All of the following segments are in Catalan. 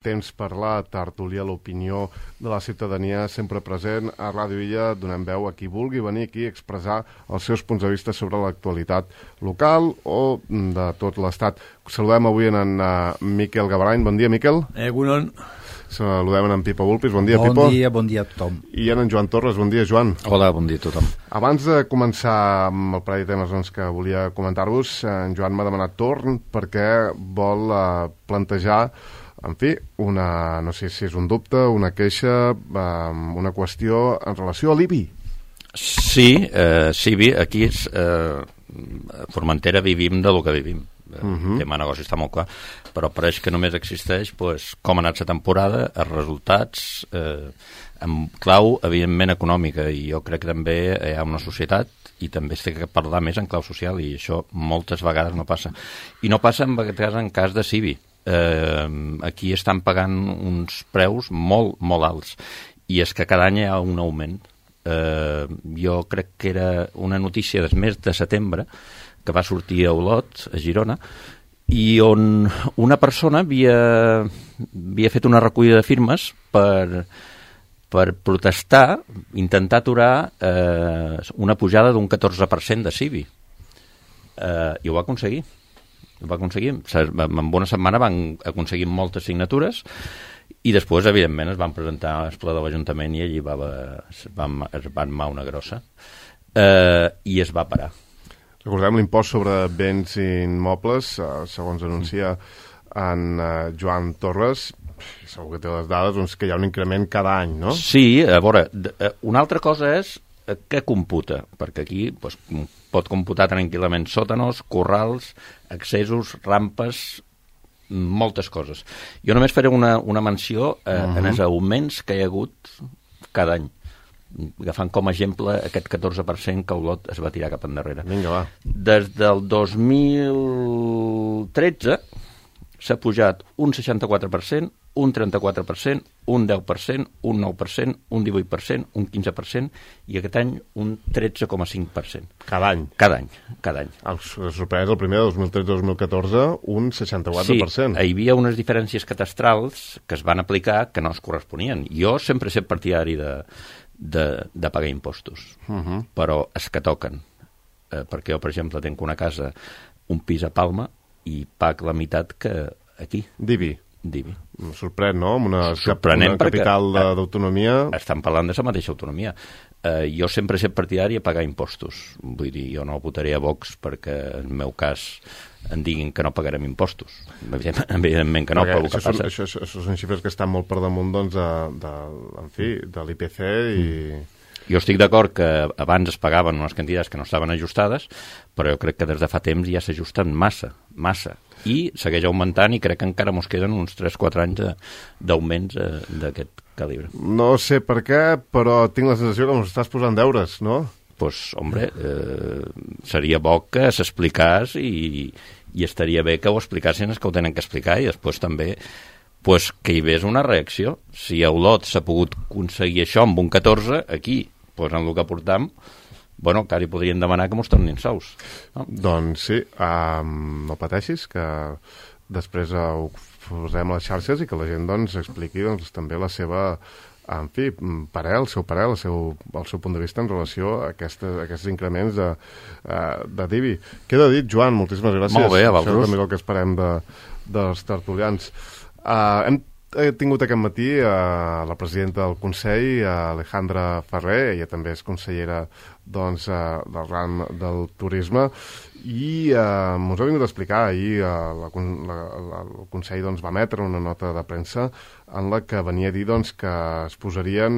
Temps per la tertúlia, l'opinió de la ciutadania sempre present a Ràdio Illa. Donem veu a qui vulgui venir aquí a expressar els seus punts de vista sobre l'actualitat local o de tot l'Estat. Saludem avui en Miquel Gabarany. Bon dia, Miquel. Egunon. Saludem en Pipa Bulpis. Bon dia, Pipa. Bon dia a tothom. I en Joan Torres. Bon dia, Joan. Hola, bon dia a tothom. Abans de començar amb el parell de temes que volia comentar-vos, en Joan m'ha demanat torn perquè vol plantejar, en fi, no sé si és un dubte, una queixa, una qüestió en relació a l'IBI. Sí, aquí a Formentera vivim del que vivim. El tema de negoci està molt clar, però pareix que només existeix com ha anat la temporada, els resultats, amb clau, evidentment, econòmica, i jo crec que també hi ha una societat i també es té que parlar més en clau social, i això moltes vegades no passa. I no passa en cas de Cibi. Aquí estan pagant uns preus molt, molt alts, i és que cada any hi ha un augment. Jo crec que era una notícia del mes de setembre que va sortir a Olot, a Girona, i on una persona havia fet una recollida de firmes per protestar, intentar aturar una pujada d'un 14% de Cibi. I ho va aconseguir. En una setmana van aconseguir moltes signatures i després, evidentment, es van presentar al ple de l'Ajuntament i allí es va armar una grossa i es va parar. Recordem l'impost sobre béns immobles, segons anuncia en Joan Torres, segur que té les dades, doncs que hi ha un increment cada any, no? Sí, a veure, una altra cosa és què computa, perquè aquí pot computar tranquil·lament sòtanos, corrals, accessos, rampes, moltes coses. Jo només faré una menció en els augments que hi ha hagut cada any, agafant com a exemple aquest 14% que Olot es va tirar cap endarrere. Vinga, va. Des del 2013 s'ha pujat un 64%, un 34%, un 10%, un 9%, un 18%, un 15% i aquest any un 13,5%. Cada any? Cada any. Sorprès, el primer de 2013-2014, un 64%. Sí, hi havia unes diferències catastrals que es van aplicar que no es corresponien. Jo sempre he estat partidari de pagar impostos, però és que toquen. Perquè jo, per exemple, tinc una casa, un pis a Palma, i pago la meitat que aquí. Divi. Sorprèn, no? Amb una capital d'autonomia. Estan parlant de la mateixa autonomia. Jo sempre he estat partidari a pagar impostos. Vull dir, jo no votaré a Vox perquè, en el meu cas, em diguin que no pagarem impostos. Evidentment que no, però el que passa... Això són xifres que estan molt per damunt, doncs, de l'IPC i... Jo estic d'acord que abans es pagaven unes quantitats que no estaven ajustades, però jo crec que des de fa temps ja s'ajusten massa, i segueix augmentant i crec que encara mos queden uns 3-4 anys d'augments d'aquest calibre. No sé per què, però tinc la sensació que ens estàs posant deures, no? Doncs, hombre, seria bo que s'explicàs i estaria bé que ho explicassin els que ho tenen que explicar i després també que hi hagués una reacció. Si a Olot s'ha pogut aconseguir això amb un 14, aquí, en el que portam, encara hi podrien demanar que mos tornin sous. No? Doncs sí, no pateixis, que després ho posem a les xarxes i que la gent expliqui també la seva, en fi, el seu punt de vista en relació a aquests increments de DIBI. Queda dit, Joan, moltíssimes gràcies. Molt bé, a vosaltres. Això és també el que esperem dels tertulians. Hem tingut aquest matí la presidenta del Consell, Alejandra Ferrer, ella també és consellera del ram del turisme, i ens ha vingut a explicar ahir el Consell va emetre una nota de premsa en la que venia a dir que es posarien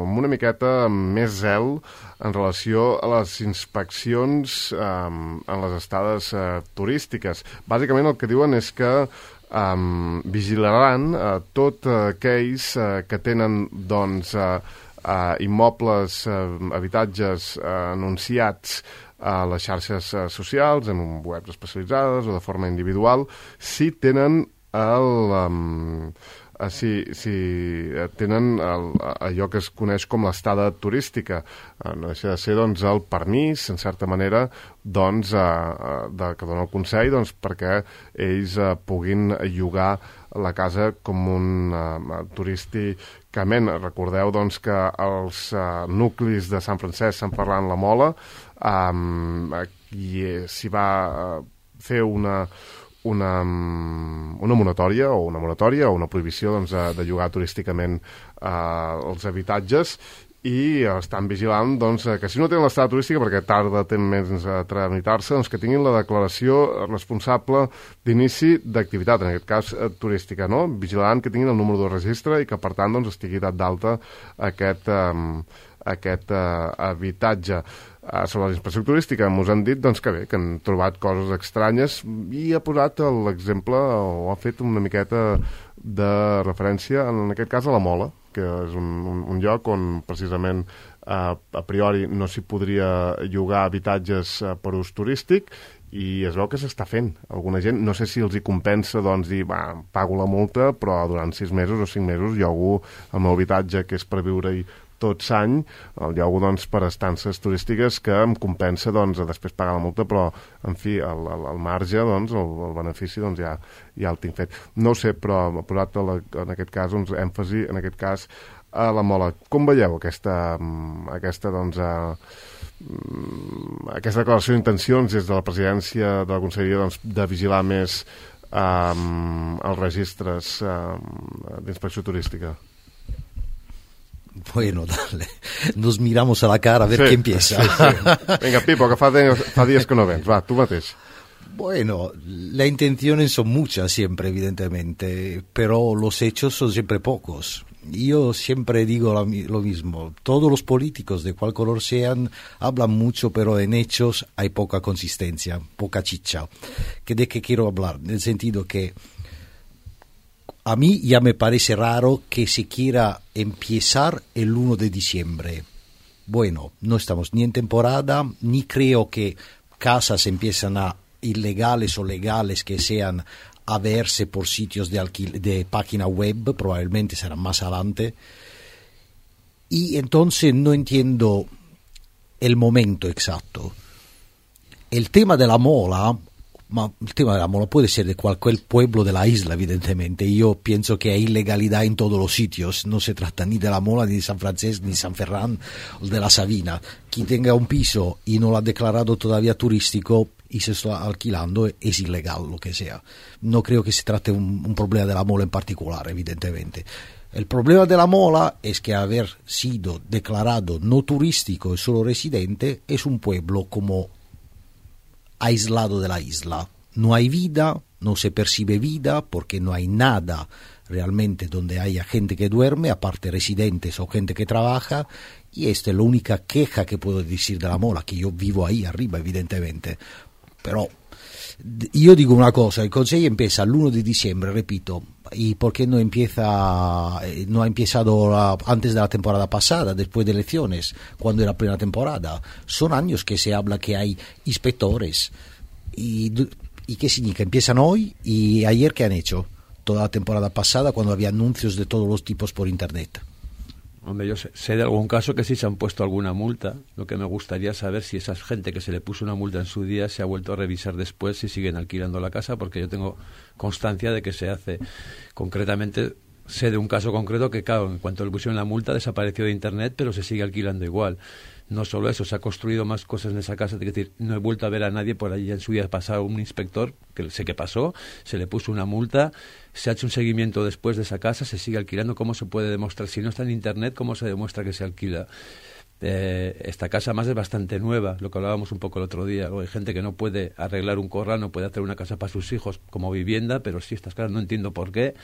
amb una miqueta més zel en relació a les inspeccions en les estades turístiques. Bàsicament el que diuen és que vigilaran tots aquells que tenen immobles, habitatges anunciats a les xarxes socials, en webs especialitzades o de forma individual, si tenen tenen allò que es coneix com l'estada turística. No deixa de ser el permís, en certa manera, que dona el Consell perquè ells puguin llogar la casa com un turísticament. Recordeu doncs, que els nuclis de Sant Francesc, Sant Ferran, la Mola, s'hi va fer una moratòria o una prohibició doncs, de llogar turísticament els habitatges, i estan vigilant doncs, que si no tenen l'estada turística, perquè tarda temps a tramitar-se, doncs, que tinguin la declaració responsable d'inici d'activitat, en aquest cas turística, no? Vigilant que tinguin el número de registre i que per tant doncs, estigui dat d'alta aquest habitatge. Sobre la inspecció turística ens han dit doncs, que bé, que han trobat coses estranyes, i ha posat l'exemple, o ha fet una miqueta de referència, en aquest cas a la Mola, que és un lloc on precisament a priori no s'hi podria llogar habitatges per ús turístic, i es veu que s'està fent. Alguna gent, no sé si els hi compensa doncs, dir, pago la multa, però durant 6 mesos o 5 mesos llogo el meu habitatge, que és per viure-hi tot l'any, el llogo doncs, per estances turístiques, que em compensa doncs, després pagar la multa, però en fi, el marge, doncs, el benefici doncs, ja el tinc fet. No ho sé, però ha posat en aquest cas doncs, èmfasi en aquest cas a la Mola. Com veieu aquesta doncs, aquesta declaració d'intencions des de la presidència de la Conselleria doncs, de vigilar més els registres d'inspecció turística? Bueno, dale, nos miramos a la cara a ver quién empieza. Sí. Venga, Pipo, que fa días que no vens. Va, tú mateix. Bueno, las intenciones son muchas siempre, evidentemente, pero los hechos son siempre pocos. Yo siempre digo lo mismo. Todos los políticos, de cual color sean, hablan mucho, pero en hechos hay poca consistencia, poca chicha. ¿De qué quiero hablar? En el sentido que a mí ya me parece raro que se quiera empezar el 1 de diciembre. Bueno, no estamos ni en temporada, ni creo que casas empiezan a ilegales o legales que sean a verse por sitios de página web, probablemente serán más adelante. Y entonces no entiendo el momento exacto. El tema de la Mola puede ser de cualquier pueblo de la isla, evidentemente. Yo pienso que hay ilegalidad en todos los sitios. No se trata ni de la Mola, ni de San Francesc, ni San Ferran, o de la Sabina. Quien tenga un piso y no lo ha declarado todavía turístico y se está alquilando es ilegal, lo que sea. No creo que se trate un problema de la Mola en particular, evidentemente. El problema de la Mola es que haber sido declarado no turístico y solo residente es un pueblo como aislado de la isla. No hay vida, no se percibe vida porque no hay nada realmente donde haya gente que duerme, aparte residentes o gente que trabaja, y esta es la única queja que puedo decir de la Mola, que yo vivo ahí arriba, evidentemente. Pero yo digo una cosa, el Consejo empieza el 1 de diciembre, repito, ¿y por qué no ha empezado antes de la temporada pasada, después de elecciones, cuando era plena temporada? Son años que se habla que hay inspectores. ¿Y qué significa? Empiezan hoy, y ayer ¿qué han hecho? Toda la temporada pasada, cuando había anuncios de todos los tipos por internet. Hombre, yo sé de algún caso que sí se han puesto alguna multa. Lo que me gustaría saber si esa gente que se le puso una multa en su día se ha vuelto a revisar después si siguen alquilando la casa, porque yo tengo constancia de que se hace. Concretamente, sé de un caso concreto que, claro, en cuanto le pusieron la multa desapareció de internet, pero se sigue alquilando igual. No solo eso, se ha construido más cosas en esa casa. Es decir, no he vuelto a ver a nadie por allí. En su día pasado un inspector, que sé que pasó, se le puso una multa, se ha hecho un seguimiento después de esa casa, se sigue alquilando. ¿Cómo se puede demostrar? Si no está en internet, ¿cómo se demuestra que se alquila? Esta casa más es bastante nueva, lo que hablábamos un poco el otro día. Hay gente que no puede arreglar un corral, no puede hacer una casa para sus hijos como vivienda, pero sí, estas casas no entiendo por qué.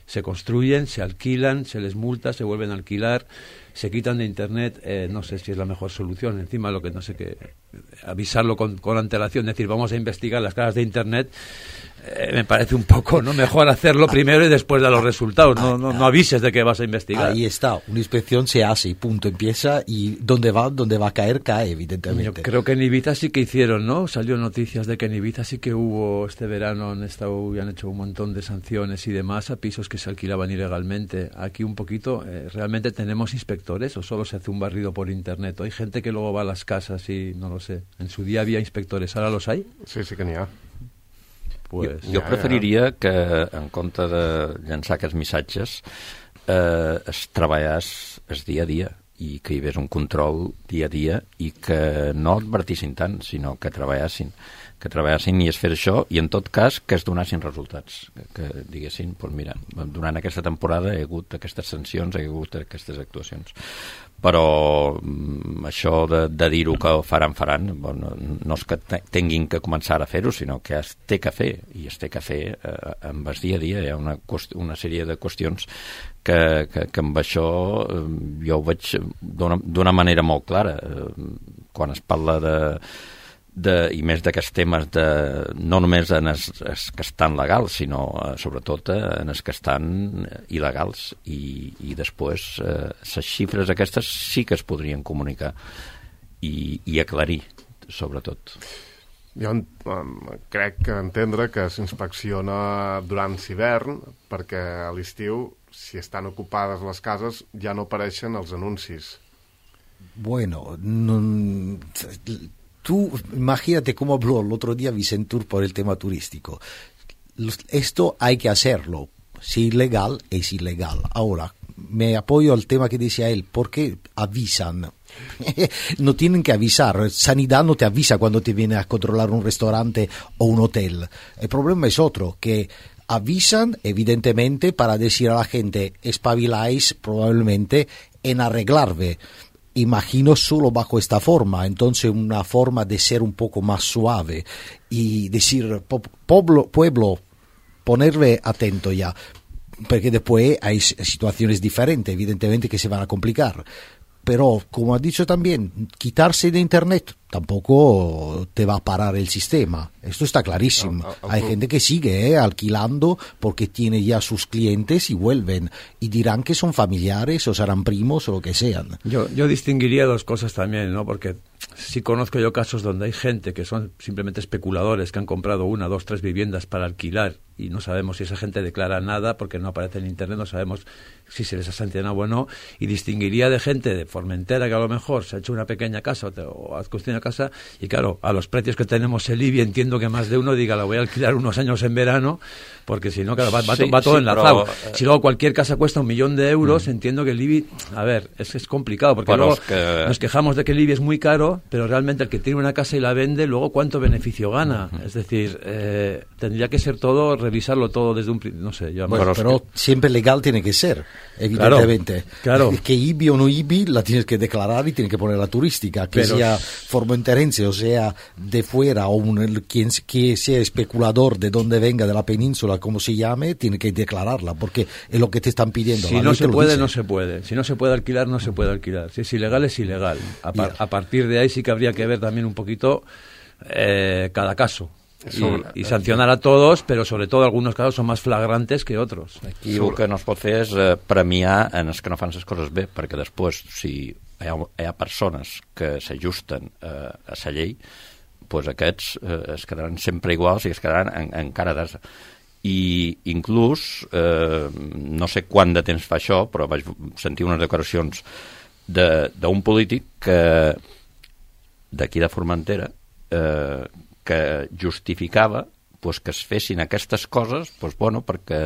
Se construyen, se alquilan, se les multa, se vuelven a alquilar, se quitan de internet. No sé si es la mejor solución. Encima, lo que no sé qué, avisarlo con antelación, decir, vamos a investigar las casas de internet, me parece un poco, ¿no? Mejor hacerlo primero y después dar los resultados. No avises de que vas a investigar. Ahí está, una inspección se hace y punto, empieza, y donde va a caer, cae, evidentemente. Yo creo que en Ibiza sí que hicieron, ¿no? Salió noticias de que en Ibiza sí que hubo, este verano han hecho un montón de sanciones y demás a pisos que se alquilaban ilegalmente. Aquí un poquito, ¿realmente tenemos inspectores o solo se hace un barrido por internet? ¿O hay gente que luego va a las casas y no lo sé? En su día había inspectores, ¿ahora los hay? Sí que n'hi ha. pues... Jo preferiria que, en compte de llançar aquests missatges, es treballés el dia a dia i que hi hagués un control dia a dia i que no advertissin tant, sinó que treballessin i es fes això, i en tot cas que es donessin resultats, que diguessin, doncs mira, durant aquesta temporada hi ha hagut aquestes sancions, hi ha hagut aquestes actuacions. Però això de dir-ho que faran, bueno, no és que tinguin que començar a fer-ho, sinó que es té que fer, i es té que fer amb el dia a dia. Hi ha una sèrie de qüestions que amb això jo ho veig d'una manera molt clara. Quan es parla i més d'aquests temes no només en els que estan legals, sinó sobretot en els que estan il·legals, i després les xifres aquestes sí que es podrien comunicar i aclarir, sobretot. Jo crec que entendre que s'inspecciona durant l'hivern, perquè a l'estiu, si estan ocupades les cases, ja no apareixen els anuncis. Bueno, tú imagínate cómo habló el otro día Vicentur por el tema turístico. Esto hay que hacerlo. Si ilegal, es ilegal. Ahora, me apoyo al tema que decía él. ¿Por qué avisan? No tienen que avisar. Sanidad no te avisa cuando te viene a controlar un restaurante o un hotel. El problema es otro, que avisan, evidentemente, para decir a la gente, espabiláis probablemente en arreglarme. Imagino solo bajo esta forma, entonces una forma de ser un poco más suave y decir, pueblo, ponerle atento ya, porque después hay situaciones diferentes, evidentemente, que se van a complicar. Pero, como has dicho también, quitarse de Internet tampoco te va a parar el sistema. Esto está clarísimo. Hay gente que sigue alquilando porque tiene ya sus clientes y vuelven. Y dirán que son familiares o serán primos o lo que sean. Yo distinguiría dos cosas también, ¿no? Porque sí conozco yo casos donde hay gente que son simplemente especuladores, que han comprado 1, 2, 3 viviendas para alquilar y no sabemos si esa gente declara nada porque no aparece en Internet, no sabemos si se les ha sancionado o no, y distinguiría de gente de Formentera que a lo mejor se ha hecho una pequeña casa o ha construido una casa, y claro, a los precios que tenemos en Libia entiendo que más de uno diga la voy a alquilar unos años en verano, porque si no, claro, va todo enlazado. Pero, si luego cualquier casa cuesta 1.000.000 euros, entiendo que el Libia, a ver, es complicado, porque luego nos quejamos de que el Libia es muy caro, pero realmente el que tiene una casa y la vende, luego cuánto beneficio gana. Es decir, tendría que ser todo, revisarlo todo desde un no sé, yo bueno, pero siempre legal tiene que ser, evidentemente. Claro. Que IBI o no IBI la tienes que declarar y tienes que poner la turística, que pero, sea formenterense o sea de fuera o quien que sea especulador de donde venga, de la península, como se llame, tiene que declararla, porque es lo que te están pidiendo. Si no se puede, no se puede. Si no se puede alquilar, no se puede alquilar. Si es ilegal, es ilegal. A partir de ahí sí que habría que ver también un poquito cada caso. I sancionar a todos, però sobretot alguns casos són més flagrantes que otros. Aquí el que no es pot fer és premiar en els que no fan les coses bé, perquè després, si hi ha persones que s'ajusten a la llei, doncs aquests es quedaran sempre iguals i es quedaran encara d'asa. I inclús, no sé quant de temps fa això, però vaig sentir unes declaracions d'un polític d'aquí de Formentera que justificava pues, que es fessin aquestes coses pues, bueno, perquè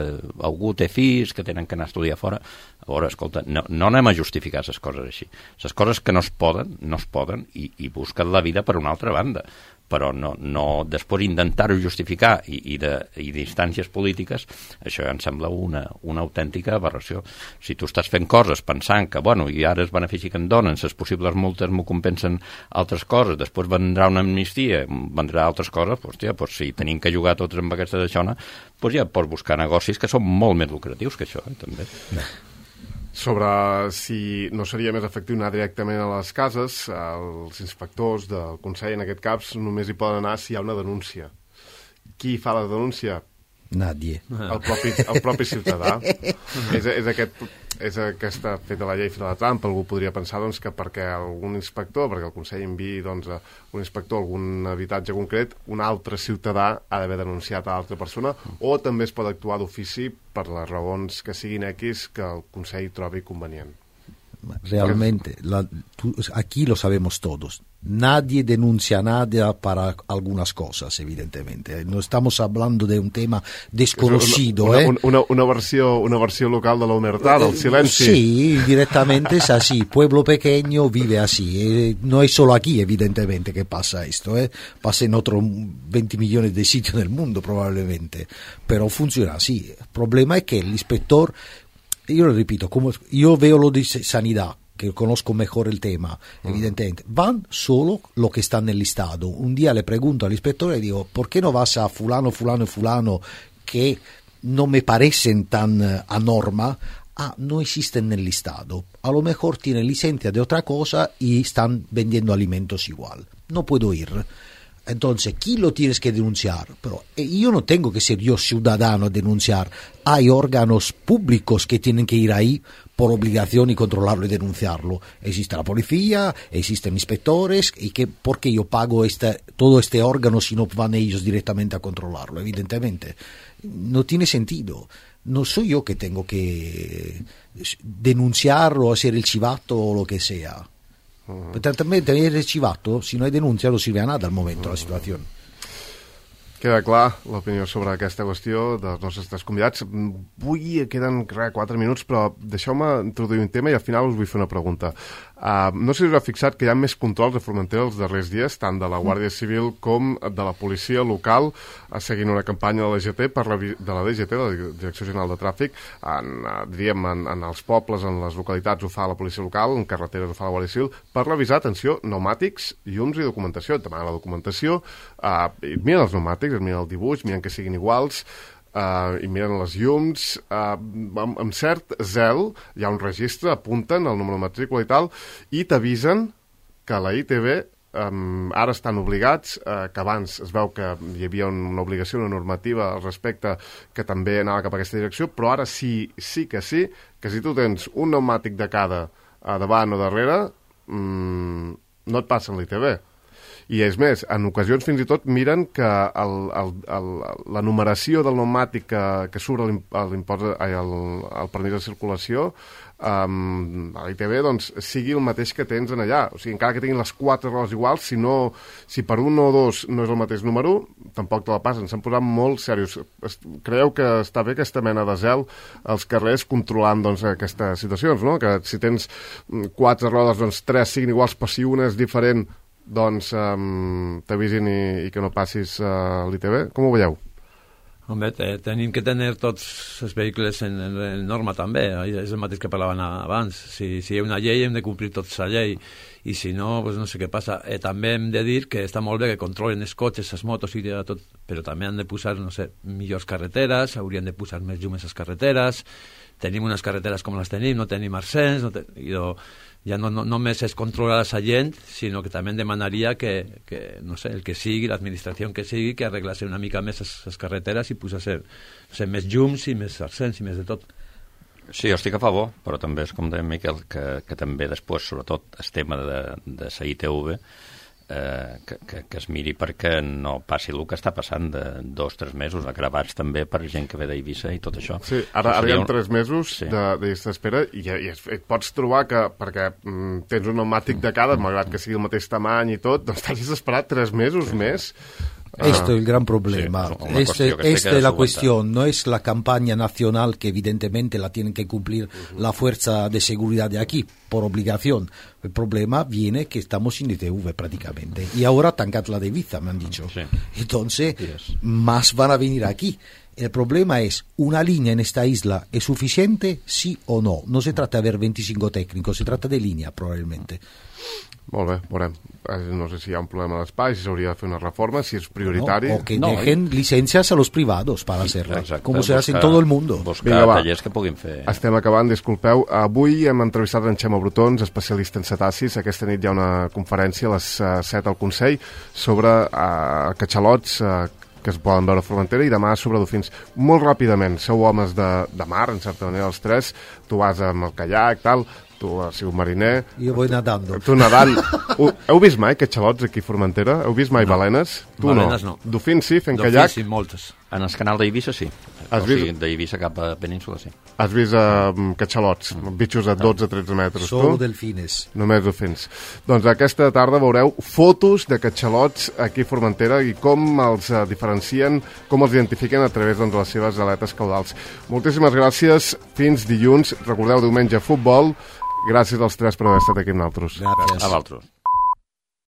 algú té fills que tenen que anar a estudiar fora. A veure, escolta, no anem a justificar les coses així. Les coses que no es poden i busquen la vida per una altra banda. Però no després intentar-ho justificar i d'instàncies polítiques, això ja em sembla una autèntica aberració. Si tu estàs fent coses pensant que, bueno, i ara es benefici que em donen, les possibles multes m'ho compensen altres coses, després vendrà una amnistia, vendrà altres coses, doncs si tenim que jugar tots amb aquesta d'aixona, doncs ja pots buscar negocis que són molt més lucratius que això, també. Sobre si no seria més efectiu anar directament a les cases, els inspectors del Consell, en aquest cas, només hi poden anar si hi ha una denúncia. Qui fa la denúncia? Nadie. El propi ciutadà. És aquesta feta la llei, feta la trampa. Algú podria pensar doncs, que perquè algun inspector, perquè el Consell enviï doncs, un inspector a algun habitatge concret, un altre ciutadà ha d'haver denunciat a l'altra persona, o també es pot actuar d'ofici per les raons que siguin X que el Consell trobi convenient. Realmente, aquí lo sabemos todos. Nadie denuncia nada para algunas cosas, evidentemente. No estamos hablando de un tema desconocido. Una versión local de la humertad, del silencio. Sí, directamente es así. Pueblo pequeño vive así. No es solo aquí, evidentemente, que pasa esto. Pasa en otros 20 millones de sitios del mundo, probablemente. Pero funciona así. El problema es que el inspector... Yo lo repito, como yo veo lo de sanidad, que conozco mejor el tema, evidentemente, van solo lo que está en el listado. Un día le pregunto al inspector y digo, ¿por qué no vas a fulano, fulano y fulano que no me parecen tan a norma? No existen en el listado. A lo mejor tienen licencia de otra cosa y están vendiendo alimentos igual. No puedo ir. Entonces, ¿quién lo tienes que denunciar? Pero yo no tengo que ser yo ciudadano a denunciar. Hay órganos públicos que tienen que ir ahí por obligación y controlarlo y denunciarlo. Existe la policía, existen inspectores, y ¿por qué yo pago todo este órgano si no van ellos directamente a controlarlo? Evidentemente, no tiene sentido. No soy yo que tengo que denunciar o hacer el chivato o lo que sea. També tenir arxivat, si no hi denúncia no sirve a nada al moment la situació. Queda clar l'opinió sobre aquesta qüestió dels nostres tres convidats. Queden 4 minuts, però deixeu-me introduir un tema i al final us vull fer una pregunta. No sé si us heu fixat que hi ha més controls de Formentera els darrers dies, tant de la Guàrdia Civil com de la policia local, seguint una campanya de la DGT, de la Direcció General de Tràfic. En els pobles, en les localitats ho fa la policia local, en carreteres ho fa la Guàrdia Civil, per revisar, atenció, pneumàtics, llums i documentació. Demanen la documentació, miren els pneumàtics, miren el dibuix, miren que siguin iguals, i miren les llums amb cert zel. Hi ha un registre, apunten el número de matrícula i tal, i t'avisen que la ITV ara estan obligats, que abans es veu que hi havia una obligació, una normativa al respecte que també anava cap a aquesta direcció, però ara sí que si tu tens un pneumàtic de cada davant o darrere, no et passen l'ITV. I és més, en ocasions fins i tot miren que la numeració del pneumàtic que surt al permís de circulació a l'ITV doncs, sigui el mateix que tens en allà. O sigui, encara que tinguin les 4 rodes iguals, si per un o dos no és el mateix número, tampoc te la passen. S'han posat molt serios. Creieu que està bé aquesta mena de zel als carrers controlant doncs, aquestes situacions, no? Que si tens 4 rodes, doncs 3 siguin iguals, però si una és diferent, doncs t'avisin i que no passis l'ITV. Com ho veieu? Home, tenim que tenir tots els vehicles en norma també, és el mateix que parlaven abans. Si hi ha una llei hem de complir tots la llei, i si no, doncs no sé què passa. També hem de dir que està molt bé que controlen els cotxes, les motos i tot, però també han de posar, no sé, millors carreteres, haurien de posar més llums a les carreteres. Tenim unes carreteres com les tenim, no tenim arsens, ja no només es controla la gent, sinó que també demanaria que no sé, el que sigui, l'administració que sigui, que arreglase una mica més les carreteres i posés més llums i més arsens i més de tot. Sí, jo estic a favor, però també és com deia Miquel, que també després, sobretot, el tema de la ITV, que es miri perquè no passi el que està passant de 2-3 mesos gravats també per gent que ve d'Eivissa i tot això. Sí, ara hi ha 3 mesos de llista d'espera i et pots trobar que perquè tens un pneumàtic de cada, malgrat que sigui el mateix tamany i tot, doncs t'hagis d'esperar 3 mesos més. Esto es el gran problema. Sí, esta es la cuestión. No es la campaña nacional que evidentemente la tienen que cumplir la fuerza de seguridad de aquí, por obligación. El problema viene que estamos sin ITV prácticamente. Y ahora tancat la de Ibiza, me han dicho. Sí. Entonces, más van a venir aquí. El problema es, ¿una línea en esta isla es suficiente, sí o no? No se trata de haber 25 técnicos, se trata de línea, probablemente. Molt bé, veurem. No sé si hi ha un problema d'espai, si s'hauria de fer una reforma, si és prioritari. O que dejen licencias a los privados para hacerla, como se hace en todo el mundo. Buscar tallers que puguin fer. Estem acabant, disculpeu. Avui hem entrevistat en Xema Brotons, especialista en cetacis. Aquesta nit hi ha una conferència a les 7 al Consell sobre catxalots que es poden veure a Formentera, i demà sobre dofins. Molt ràpidament, sou homes de mar, en certa manera, els tres. Tu vas amb el caiac, tal. Tu has sigut mariner. Jo voy nadando. Tu nadant. Heu vist mai catxalots aquí a Formentera? Heu vist mai balenes? Tu balenes no. Dofins sí, fent caiac? Dofins sí, moltes. En el canal d'Eivissa sí. Has o sigui, d'Eivissa cap a Península, sí. Has vist catxalots, bitxos de 12-13 metres, Solo tu? delfines. Només delfins. Doncs aquesta tarda veureu fotos de catxalots aquí a Formentera i com els diferencien, com els identifiquen a través de les seves aletes caudals. Moltíssimes gràcies, fins dilluns. Recordeu, diumenge futbol. Gràcies als tres per haver estat aquí amb nosaltres. Gràcies. A vosaltres.